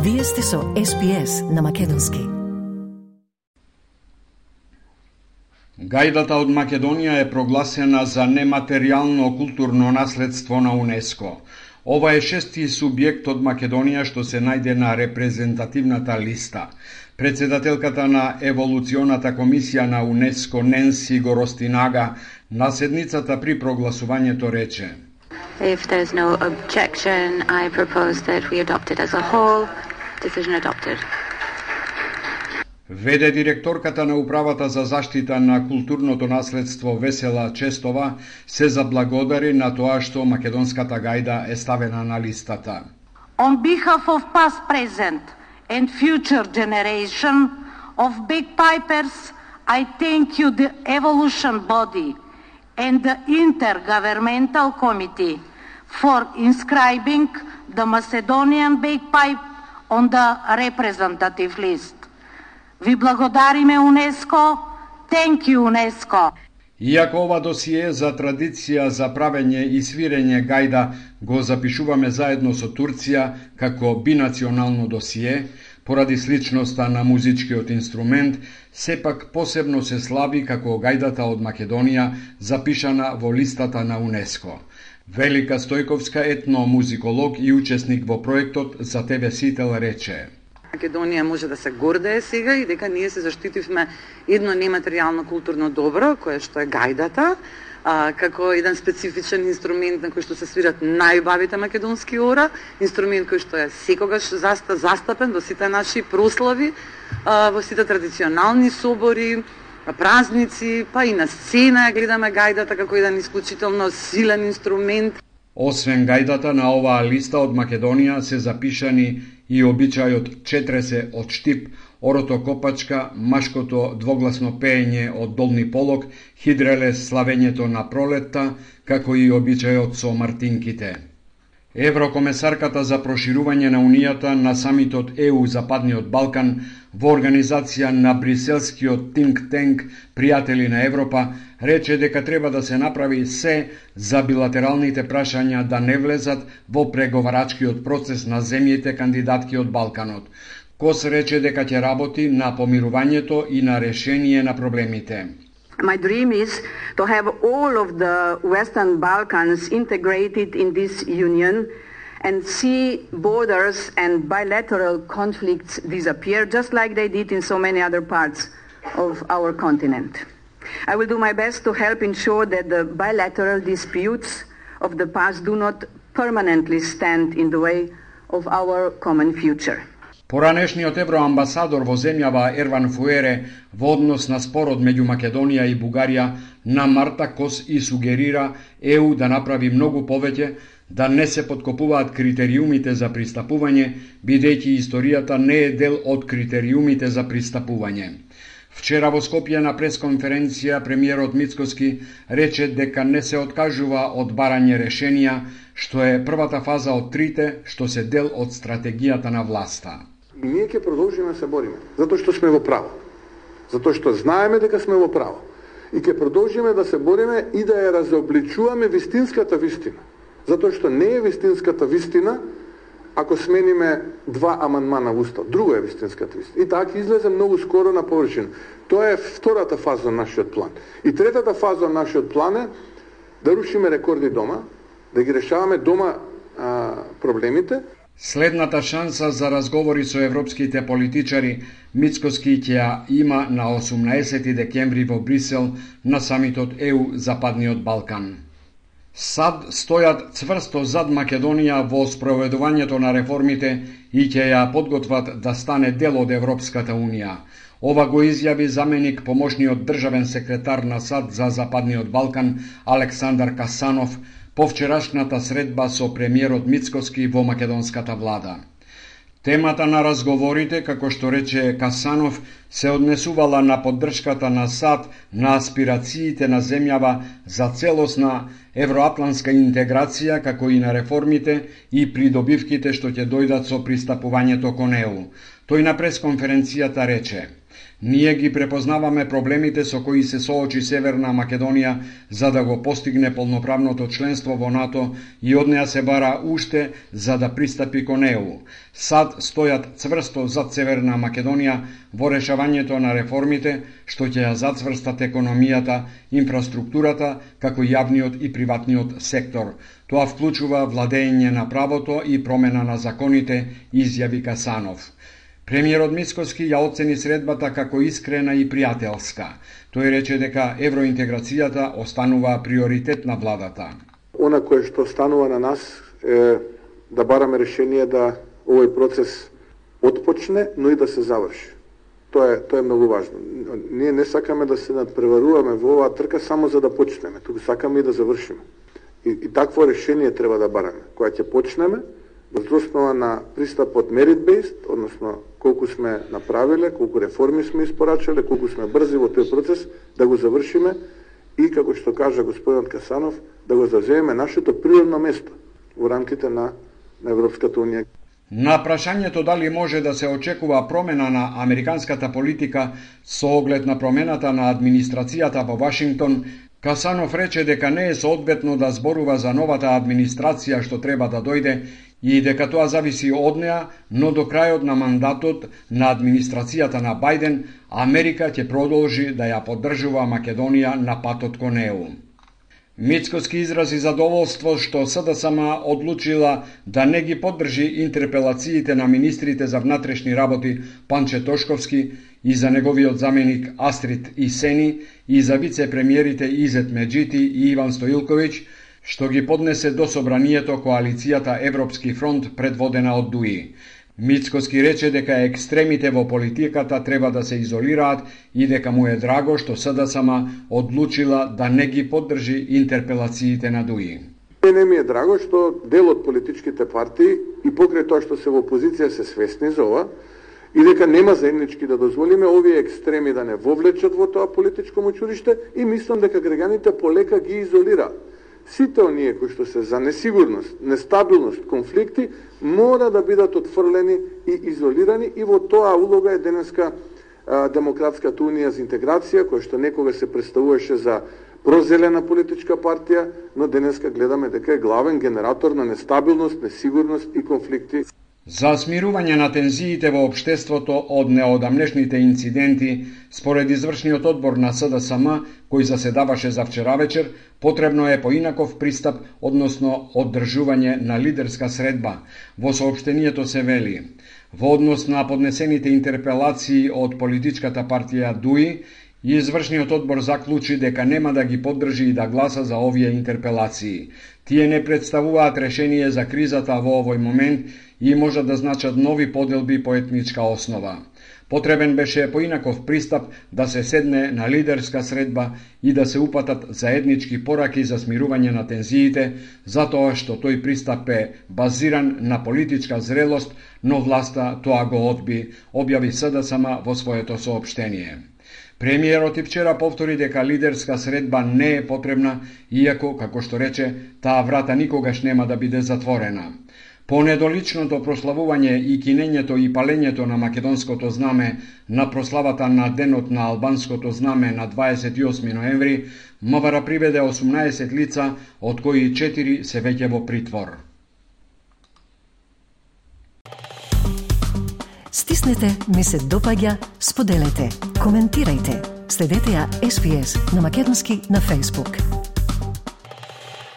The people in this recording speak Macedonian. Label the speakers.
Speaker 1: Вие сте со SPS на македонски.
Speaker 2: Гајдата од Македонија е прогласена за нематеријално културно наследство на УНЕСКО. Ова е шести субјект од Македонија што се најде на репрезентативната листа. Председателката на Еволуционата комисија на УНЕСКО Ненси Горостинага на седницата при прогласувањето рече:
Speaker 3: If there is no objection, I propose that we adopt it as a whole. Decision adopted.
Speaker 2: Веде директорката на Управата за заштита на културното наследство Весела Честова се заблагодари на тоа што македонската гајда е ставена на листата.
Speaker 4: On behalf of past, present and future generation of bagpipers, I thank you, the Evolution Body and the Intergovernmental Committee, for inscribing the Macedonian bagpipe on the representative list. Ви благодариме УНЕСКО. Thank you, УНЕСКО.
Speaker 2: Иако ова досие за традиција за правење и свирење гајда го запишуваме заедно со Турција како бинационално досие, поради сличноста на музичкиот инструмент, сепак посебно се слави како гајдата од Македонија запишана во листата на УНЕСКО. Велика Стојковска, етномузиколог и учесник во проектот за ТВ Сител, рече:
Speaker 5: Македонија може да се гордее сега и дека ние се заштитивме едно нематеријално културно добро, кое што е гајдата, како еден специфичен инструмент на кој што се свират најубавите македонски ора, инструмент кој што е секогаш застапен во сите наши прослави, во сите традиционални собори, празници, па и на сцена гледаме гајдата како еден исклучително силен инструмент.
Speaker 2: Освен гајдата, на оваа листа од Македонија се запишани и обичајот четресе од штип, орото-копачка, машкото двогласно пеење од долни полог, хидрелес славењето на пролетта, како и обичајот со мартинките. Еврокомесарката за проширување на Унијата на самитот ЕУ Западниот Балкан во организација на бриселскиот think tank Пријатели на Европа рече дека треба да се направи се за билатералните прашања да не влезат во преговарачкиот процес на земјите кандидатки од Балканот. Кос рече дека ќе работи на помирувањето и на решение на проблемите.
Speaker 6: My dream is to have all of the Western Balkans integrated in this union and see borders and bilateral conflicts disappear, just like they did in so many other parts of our continent. I will do my best to help ensure that the bilateral disputes of the past do not permanently stand in the way of our common future.
Speaker 2: Поранешниот евроамбасадор во земјава Ерван Фуере во однос на спорот меѓу Македонија и Бугарија на Марта Кос и сугерира ЕУ да направи многу повеќе, да не се подкопуваат критериумите за пристапување, бидејќи историјата не е дел од критериумите за пристапување. Вчера во Скопје на пресконференција премиерот Мицкоски рече дека не се откажува од барање решенија, што е првата фаза од трите, што се дел од стратегијата на власта.
Speaker 7: И ние ќе продолжиме да се бориме, затоа што сме во право. Затоа што знаеме дека сме во право. И ќе продолжиме да се бориме и да ја разобличуваме вистинската вистина. Затоа што не е вистинската вистина ако смениме два амандмана во Устав. Друго е вистинската вистина. И така излезе многу скоро на површина. Тоа е втората фаза на нашиот план. И третата фаза на нашиот план е да рушиме рекорди дома, да ги решаваме дома проблемите.
Speaker 2: Следната шанса за разговори со европските политичари Мицкоски ќе ја има на 18 декември во Брисел на самитот ЕУ Западниот Балкан. САД стојат цврсто зад Македонија во спроведувањето на реформите и ќе ја подготват да стане дел од Европската Унија. Ова го изјави заменик помошниот државен секретар на САД за Западниот Балкан Александар Касанов по вчерашната средба со премиерот Мицкоски во македонската влада. Темата на разговорите, како што рече Касанов, се однесувала на поддршката на САД на аспирациите на земјава за целосна евроатлантска интеграција, како и на реформите и придобивките што ќе дојдат со пристапувањето кон ЕУ. Тој на пресконференцијата рече: Ние ги препознаваме проблемите со кои се соочи Северна Македонија за да го постигне полноправното членство во НАТО и од неа се бара уште за да пристапи кон ЕУ. САД стојат цврсто зад Северна Македонија во решавањето на реформите што ќе ја зацврстат економијата, инфраструктурата, како јавниот и приватниот сектор. Тоа вклучува владење на правото и промена на законите, изјави Касанов. Премиерот Мицкоски ја оцени средбата како искрена и пријателска. Тој рече дека евроинтеграцијата останува приоритет на владата.
Speaker 7: Она кое што станува на нас е да бараме решение да овој процес отпочне, но и да се заврши. Тоа е многу важно. Ние не сакаме да се надпреваруваме во оваа трка само за да почнеме, туку сакаме и да завршиме. И такво решение треба да бараме, кога ќе почнеме, врз основа на пристапот merit-based, односно колку сме направиле, колку реформи сме испорачале, колку сме брзи во тој процес, да го завршиме и, како што кажа господинот Касанов, да го завземеме нашето природно место во рамките на Европската унија.
Speaker 2: На прашањето дали може да се очекува промена на американската политика со оглед на промената на администрацијата во Вашингтон, Касанов рече дека не е соодветно да зборува за новата администрација што треба да дојде и дека тоа зависи од неа, но до крајот на мандатот на администрацијата на Бајден, Америка ќе продолжи да ја поддржува Македонија на патот кон ЕУ. Мицкоски изрази задоволство што СДСМ одлучила да не ги поддржи интерпелациите на министрите за внатрешни работи Панче Тошковски и за неговиот заменик Астрид Исени и за вице-премиерите Изет Меджити и Иван Стоилковиќ, што ги поднесе до собранието коалицијата Европски фронт предводена од ДУИ. Мицкоски рече дека екстремите во политиката треба да се изолираат и дека му е драго што СДСМ одлучила да не ги поддржи интерпелациите на ДУИ.
Speaker 7: Не ми е драго што дел од политичките партии и покрај тоа што се во опозиција се свесни за ова и дека нема заеднички да дозволиме овие екстреми да не вовлечат во тоа политичко мочуриште и мислам дека граѓаните полека ги изолираат. Сите оние кои што се за несигурност, нестабилност, конфликти, мора да бидат отфрлени и изолирани и во тоа улога е денеска Демократската унија за интеграција, која што некога се представуваше за прозелена политичка партија, но денеска гледаме дека е главен генератор на нестабилност, несигурност и конфликти.
Speaker 2: За смирување на тензиите во општеството од неодамнешните инциденти, според извршниот одбор на СДСМ, кој заседаваше за вчера вечер, потребно е поинаков пристап, односно оддржување на лидерска средба. Во соопштението се вели: во однос на поднесените интерпелации од политичката партија ДУИ, извршниот одбор заклучи дека нема да ги поддржи и да гласа за овие интерпелации. Тие не представуваат решение за кризата во овој момент и може да значат нови поделби по етничка основа. Потребен беше поинаков пристап да се седне на лидерска средба и да се упатат заеднички пораки за смирување на тензиите, затоа што тој пристап е базиран на политичка зрелост, но власта тоа го одби, објави СДСМ во своето соопштение. Премиерот и вчера повтори дека лидерска средба не е потребна, иако, како што рече, таа врата никогаш нема да биде затворена. По недоличното прославување и кинењето и палењето на македонското знаме на прославата на денот на албанското знаме на 28 ноември, МВР приведе 18 лица, од кои 4 се веќе во притвор.
Speaker 1: Стиснете, ми се допаѓа, споделете, коментирајте. Следете ја SPS на македонски на Facebook.